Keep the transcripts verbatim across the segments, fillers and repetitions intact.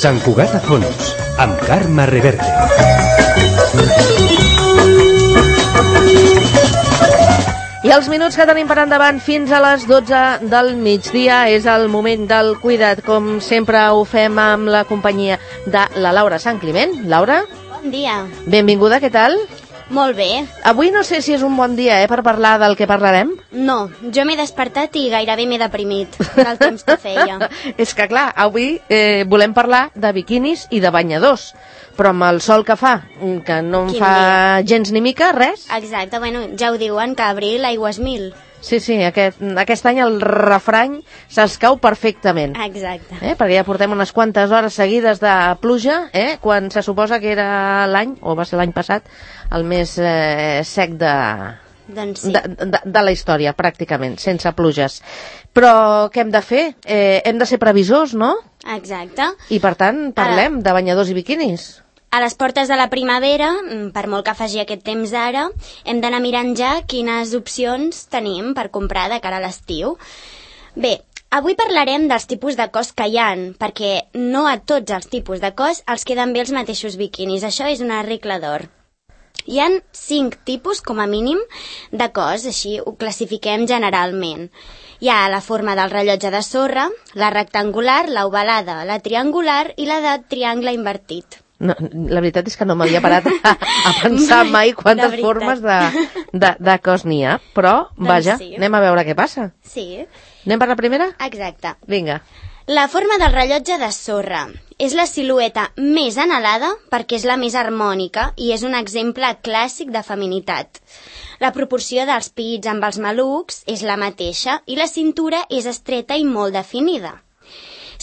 Sant Cugat a fons, amb Carme Reverte. I els minuts que tenim per endavant fins a les dotze del migdia és el moment del cuidat. Com sempre ho fem amb la companyia de la Laura Sant Climent. Laura? Bon dia. Benvinguda, què tal? Molt bé. Avui no sé si és un bon dia eh, per parlar del que parlarem. No, jo m'he despertat i gairebé m'he deprimit del temps que feia. És que clar, avui eh, volem parlar de biquinis i de banyadors, però amb el sol que fa, que no em Quin fa dia. gens ni mica, res. Exacte, bueno, ja ho diuen, que abril aigua és mil. Sí, sí, aquest, aquest any el refrany s'escau perfectament. Exacte. Eh? Perquè ja portem unes quantes hores seguides de pluja, eh? Quan se suposa que era l'any, o va ser l'any passat, el més eh, sec de, Doncs sí. de, de, de la història, pràcticament, sense pluges. Però què hem de fer? Eh, hem de ser previsors, no? Exacte. I per tant, parlem Ara... de banyadors i biquinis. A les portes de la primavera, per molt que faci aquest temps ara, hem d'anar mirant ja quines opcions tenim per comprar de cara a l'estiu. Bé, avui parlarem dels tipus de cos que hi ha, perquè no a tots els tipus de cos els queden bé els mateixos biquinis. Això és una regla d'or. Hi ha cinc tipus, com a mínim, de cos, així ho classifiquem generalment. Hi ha la forma del rellotge de sorra, la rectangular, la ovalada, la triangular i la de triangle invertit. No, la veritat és que no m'havia parat a, a pensar mai quantes de formes de, de, de cos n'hi ha, però, doncs vaja, sí. Anem a veure què passa. Sí. Anem per la primera? Exacte. Vinga. La forma del rellotge de sorra és la silueta més anhelada perquè és la més harmònica i és un exemple clàssic de feminitat. La proporció dels pits amb els malucs és la mateixa i la cintura és estreta i molt definida.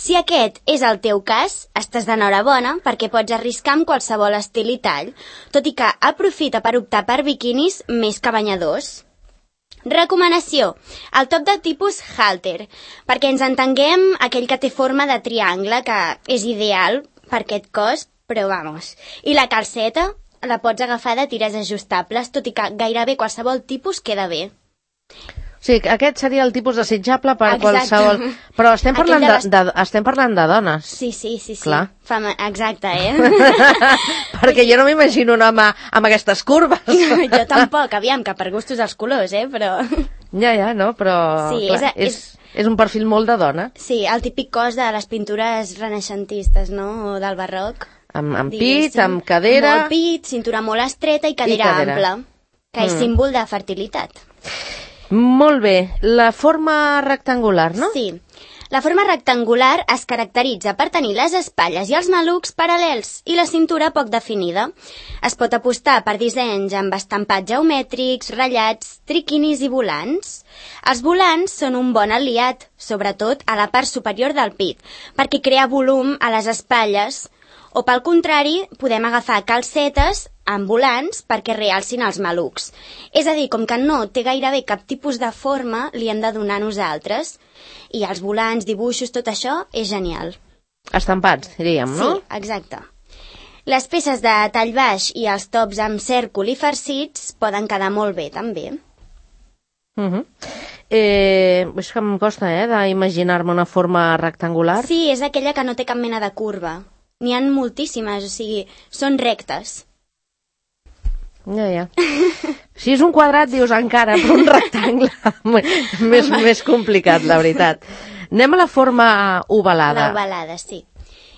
Si aquest és el teu cas, estàs d'enhorabona perquè pots arriscar amb qualsevol estil i tall, tot i que aprofita per optar per biquinis més que banyadors. Recomanació, el top de tipus halter, perquè ens entenguem aquell que té forma de triangle, que és ideal per aquest cos, però vamos. I la calceta la pots agafar de tires ajustables, tot i que gairebé qualsevol tipus queda bé. Sí, aquest seria el tipus desitjable per Exacte. qualsevol... Però estem parlant de, de les... de, estem parlant de dones. Sí, sí, sí. sí. Clar. Fama... Exacte, eh? Perquè jo no m'imagino un home amb aquestes curves. Jo tampoc, aviam, que per gustos els colors, eh? Però... Ja, ja, no, però... Sí, clar, és, és, és un perfil molt de dona. Sí, el típic cos de les pintures renaixentistes, no? O del barroc. Amb, amb pit, amb cadera... Molt pit, cintura molt estreta i cadera, I cadera. ampla, que és mm. símbol de fertilitat. Molt bé. La forma rectangular, no? Sí. La forma rectangular es caracteritza per tenir les espatlles i els malucs paral·lels i la cintura poc definida. Es pot apostar per dissenys amb estampats geomètrics, ratllats, triquinis i volants. Els volants són un bon aliat, sobretot a la part superior del pit, perquè crea volum a les espatlles, o pel contrari, podem agafar calcetes amb volants perquè realcin els malucs. És a dir, com que no té gairebé cap tipus de forma, li hem de donar nosaltres. I els volants, dibuixos, tot això és genial. Estampats, diríem, no? Sí, exacte. Les peces de tall baix i els tops amb cèrcol i farcits poden quedar molt bé, també. Uh-huh. Eh, és que em costa, eh, d'imaginar-me una forma rectangular. Sí, és aquella que no té cap mena de curva. N'hi ha moltíssimes, o sigui, són rectes. Ja, ja. Si és un quadrat, dius encara, però un rectangle més, més complicat, la veritat. Anem a la forma ovalada. L'ovalada, sí.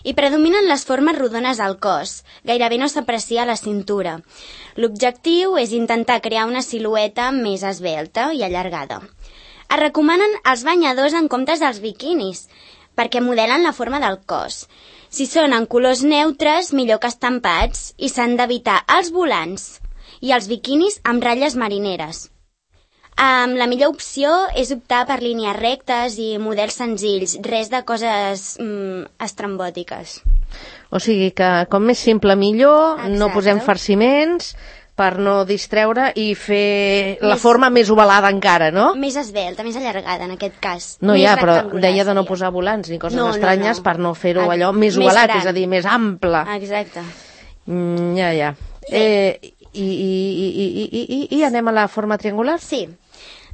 I predominen les formes rodones al cos. Gairebé no s'aprecia la cintura. L'objectiu és intentar crear una silueta més esvelta i allargada. Es recomanen els banyadors en comptes dels biquinis, perquè modelen la forma del cos. Si són en colors neutres, millor que estampats, i s'han d'evitar els volants i els biquinis amb ratlles marineres. Um, la millor opció és optar per línies rectes i models senzills, res de coses um, estrambòtiques. O sigui que com més simple millor, Exacte. No posem farciments per no distreure i fer la Més... forma més ovalada encara, no? Més esvelta, més allargada en aquest cas. No, més ja, però deia de no seria. posar volants ni coses no, estranyes no, no. per no fer-ho allò Ah, més més ovalat, gran. és a dir, més ample. Exacte. Mm, ja, ja. Sí. Eh, i, i, i, i, i, i, I anem a la forma triangular? Sí.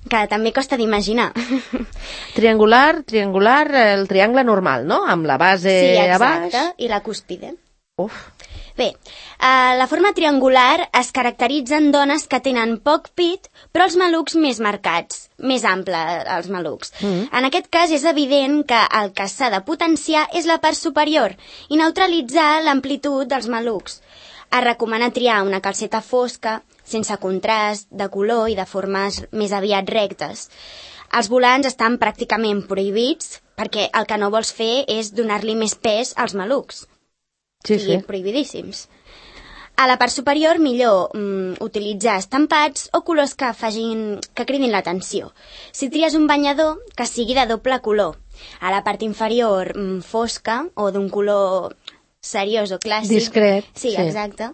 que també costa d'imaginar. Triangular, triangular, el triangle normal, no? Amb la base sí, a baix. Sí, exacte, i la cúspide. Uf. Bé, eh, la forma triangular es caracteritza en dones que tenen poc pit, però els malucs més marcats, més ample, els malucs. Mm. En aquest cas és evident que el que s'ha de potenciar és la part superior i neutralitzar l'amplitud dels malucs. Es recomana triar una calceta fosca, sense contrast, de color i de formes més aviat rectes. Els volants estan pràcticament prohibits perquè el que no vols fer és donar-li més pes als malucs. Sí, sí. Prohibidíssims. A la part superior, millor mm, utilitzar estampats o colors que, facin, que cridin l'atenció. Si tries un banyador, que sigui de doble color. A la part inferior, mm, fosca o d'un color seriós o clàssic. Discret. Sí, sí, exacte.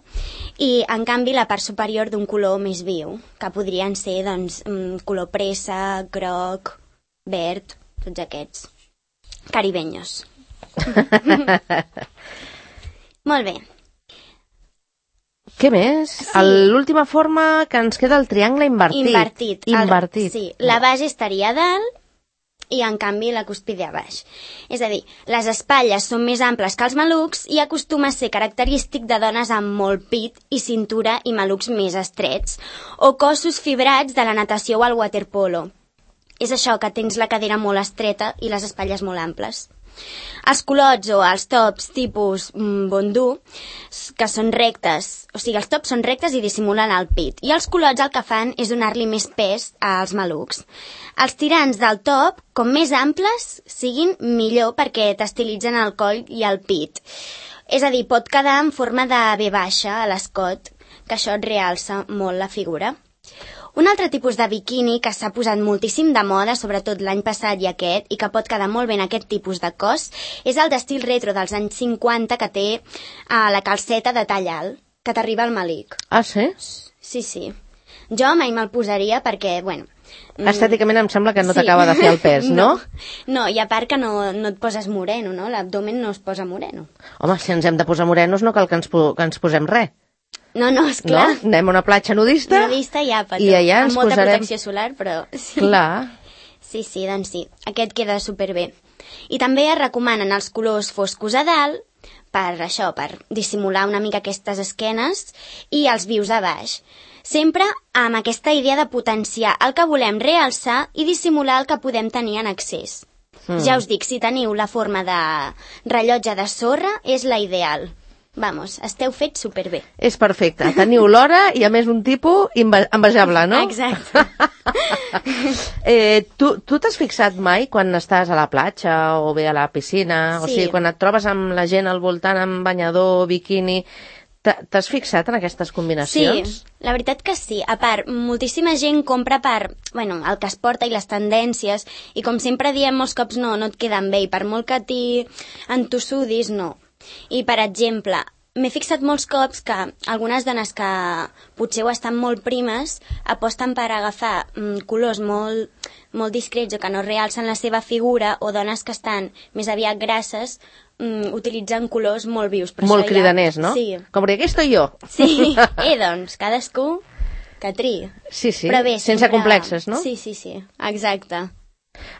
I, en canvi, la part superior d'un color més viu, que podrien ser, doncs, mm, color pressa, groc, verd, tots aquests. Caribeños. Molt bé. Què més? Sí. L'última forma que ens queda el triangle invertit. Invertit. Invertit. El, sí, la base estaria a dalt i, en canvi, la cúspide a baix. És a dir, les espatlles són més amples que els malucs i acostuma a ser característic de dones amb molt pit i cintura i malucs més estrets, o cossos fibrats de la natació o el waterpolo. És això, que tens la cadera molt estreta i les espatlles molt amples. Els culots o els tops tipus mm, bondú, que són rectes, o sigui, els tops són rectes i dissimulen el pit, i els culots el que fan és donar-li més pes als malucs. Els tirants del top, com més amples siguin, millor, perquè t'estilitzen el coll i el pit. És a dir, pot quedar en forma de V baixa a l'escot, que això et realça molt la figura. Un altre tipus de biquini que s'ha posat moltíssim de moda, sobretot l'any passat i aquest, i que pot quedar molt bé en aquest tipus de cos, és el d'estil retro dels anys cinquanta, que té uh, la calceta de tall alt, que t'arriba al malic. Ah, sí? Sí, sí. Jo mai me'l posaria perquè, bueno... Estèticament em sembla que no sí. t'acaba de fer el pes, no? No, no, i a part que no, no et poses moreno, no? L'abdomen no es posa moreno. Home, si ens hem de posar morenos no cal que ens, po que ens posem res. No, no, esclar. No? Anem a una platja nudista, nudista ja, petó. I allà ens amb molta posarem... protecció solar, però... Sí. Clar. Sí, sí, doncs sí. Aquest queda superbé. I també es recomanen els colors foscos a dalt, per això, per dissimular una mica aquestes esquenes, i els vius a baix. Sempre amb aquesta idea de potenciar el que volem realçar i dissimular el que podem tenir en excés. Mm. Ja us dic, si teniu la forma de rellotge de sorra, és la ideal. Vamos, esteu fets superbé. És perfecte. Teniu l'hora i, a més, un tipus envejable, no? Exacte. eh, tu tu t'has fixat mai quan estàs a la platja o bé a la piscina? Sí. O sigui, quan et trobes amb la gent al voltant amb banyador, biquini... T'has fixat en aquestes combinacions? Sí, la veritat que sí. A part, moltíssima gent compra per, bueno, el que es porta i les tendències, i com sempre diem molts cops, no, no et queden bé, i per molt que t'hi entossudis, no. I, per exemple, m'he fixat molts cops que algunes dones que potser ho estan molt primes aposten per agafar mm, colors molt, molt discrets o que no realcen la seva figura, o dones que estan més aviat grasses mm, utilitzen colors molt vius. Però molt ja... cridaners, no? Sí. Com perquè aquí estoy jo. Sí, eh, doncs, cadascú que triï. Sí, sí, però bé, sense sempre... complexes, no? Sí, sí, sí, exacte.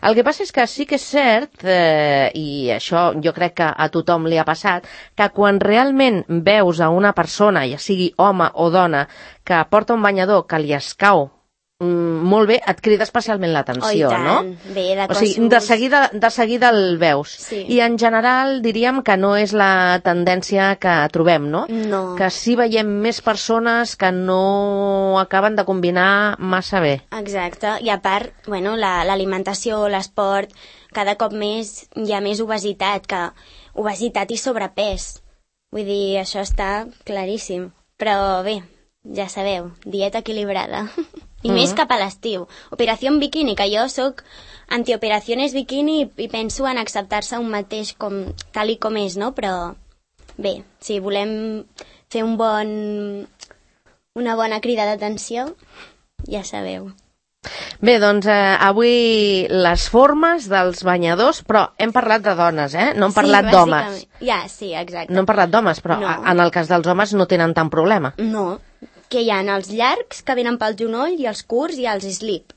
El que passa és que sí que és cert, eh, i això jo crec que a tothom li ha passat, que quan realment veus a una persona, ja sigui home o dona, que porta un banyador que li escau mm, molt bé, et crida especialment l'atenció, oh, i tant. No? Bé, de o sigui, de seguida, de seguida el veus. Sí. I en general diríem que no és la tendència que trobem, no? No. Que sí veiem més persones que no acaben de combinar massa bé. Exacte, i a part, bueno, l'alimentació, la, l'esport, cada cop més hi ha més obesitat, que obesitat i sobrepès. Vull dir, això està claríssim. Però bé, ja sabeu, dieta equilibrada. I mm. més cap a l'estiu. Operació bikini, que jo sóc antioperacions bikini i, i penso en acceptar-se un mateix com, tal i com és, no? Però bé, si volem fer un bon, una bona crida d'atenció, ja sabeu. Bé, doncs eh, avui les formes dels banyadors, però hem parlat de dones, eh? No hem parlat sí, d'homes. Ja, sí, exacte. No hem parlat d'homes, però no. En el cas dels homes no tenen tant problema. No, que hi ha els llargs, que venen pel genoll, i els curts i els slip.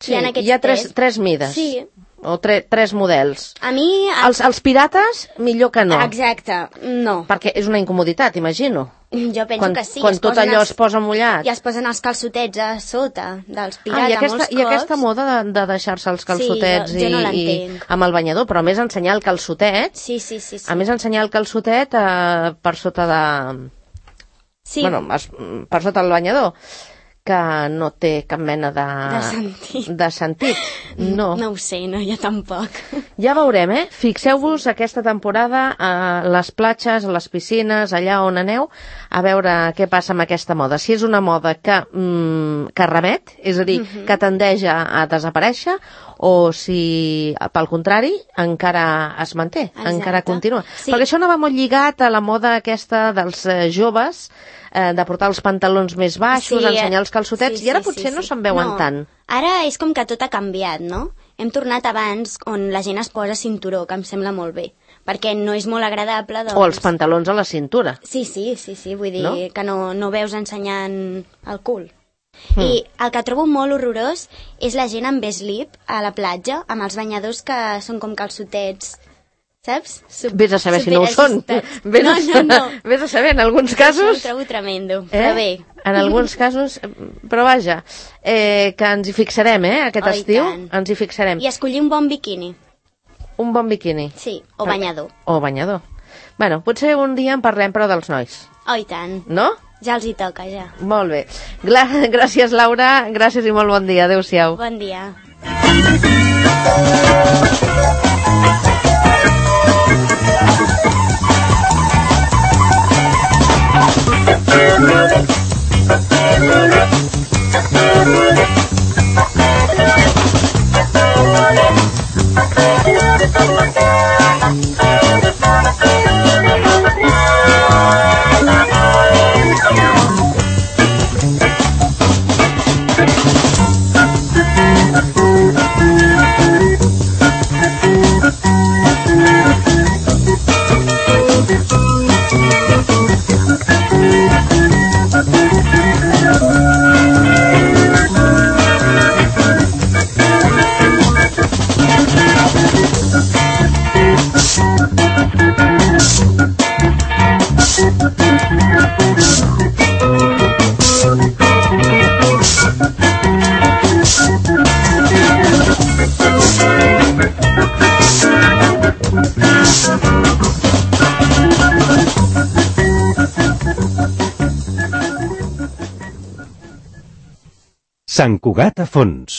Sí, hi ha aquests hi ha tres, tres. tres mides. Sí. O tre, tres models. A mi... Els, els pirates, millor que no. Exacte, no. Perquè és una incomoditat, imagino. Jo penso Quan, que sí. quan es tot posen allò els, es posa mullat. I es posen els calçotets a sota dels pirates Ah, i aquesta, molts cops. i aquesta moda de, de deixar-se els calçotets Sí, jo- jo no i, i l'entenc. amb el banyador, però a més ensenyar el calçotet, Sí, sí, sí. sí. a més ensenyar el calçotet eh, per sota de... sí. Bueno, es- per sota del banyador, que no té cap mena de... De sentit. De sentit. No. No ho sé, no, jo tampoc. Ja veurem, eh? Fixeu-vos aquesta temporada a les platges, a les piscines, allà on aneu, a veure què passa amb aquesta moda. Si és una moda que, mm, que remet, és a dir, uh-huh. que tendeix a, a desaparèixer, o si, pel contrari, encara es manté, Exacte. encara continua. Sí. Perquè això anava molt lligat a la moda aquesta dels eh, joves, eh, de portar els pantalons més baixos, Sí, ensenyar els calçotets, sí, i ara sí, potser sí, no sí. se'n veuen No. tant. Ara és com que tot ha canviat, no? Hem tornat abans on la gent es posa cinturó, que em sembla molt bé, perquè no és molt agradable, doncs... O els pantalons a la cintura. Sí, sí, sí, sí, vull dir No? que no, no veus ensenyant el cul. Mm. I el que trobo molt horrorós és la gent amb slip a la platja, amb els banyadors que són com calçotets, saps? Sup- Vés a saber si no ho són. superajustats. Vés, No, a, no, no. Vés a saber, en alguns Això ho casos... trobo tremendo, Eh? però bé. En alguns casos... Però vaja, eh, que ens hi fixarem, eh, aquest Oh, i estiu. tant. Ens hi fixarem. I escollir un bon biquini, Un bon biquini. sí, o banyador. O banyador. Bueno, potser un dia en parlem, però dels nois. Oh, i tant. No? Ja els hi toca, ja. Molt bé. Gla gràcies, Laura. Gràcies i molt bon dia. Adéu-siau. Bon dia. Sant Cugat a fons.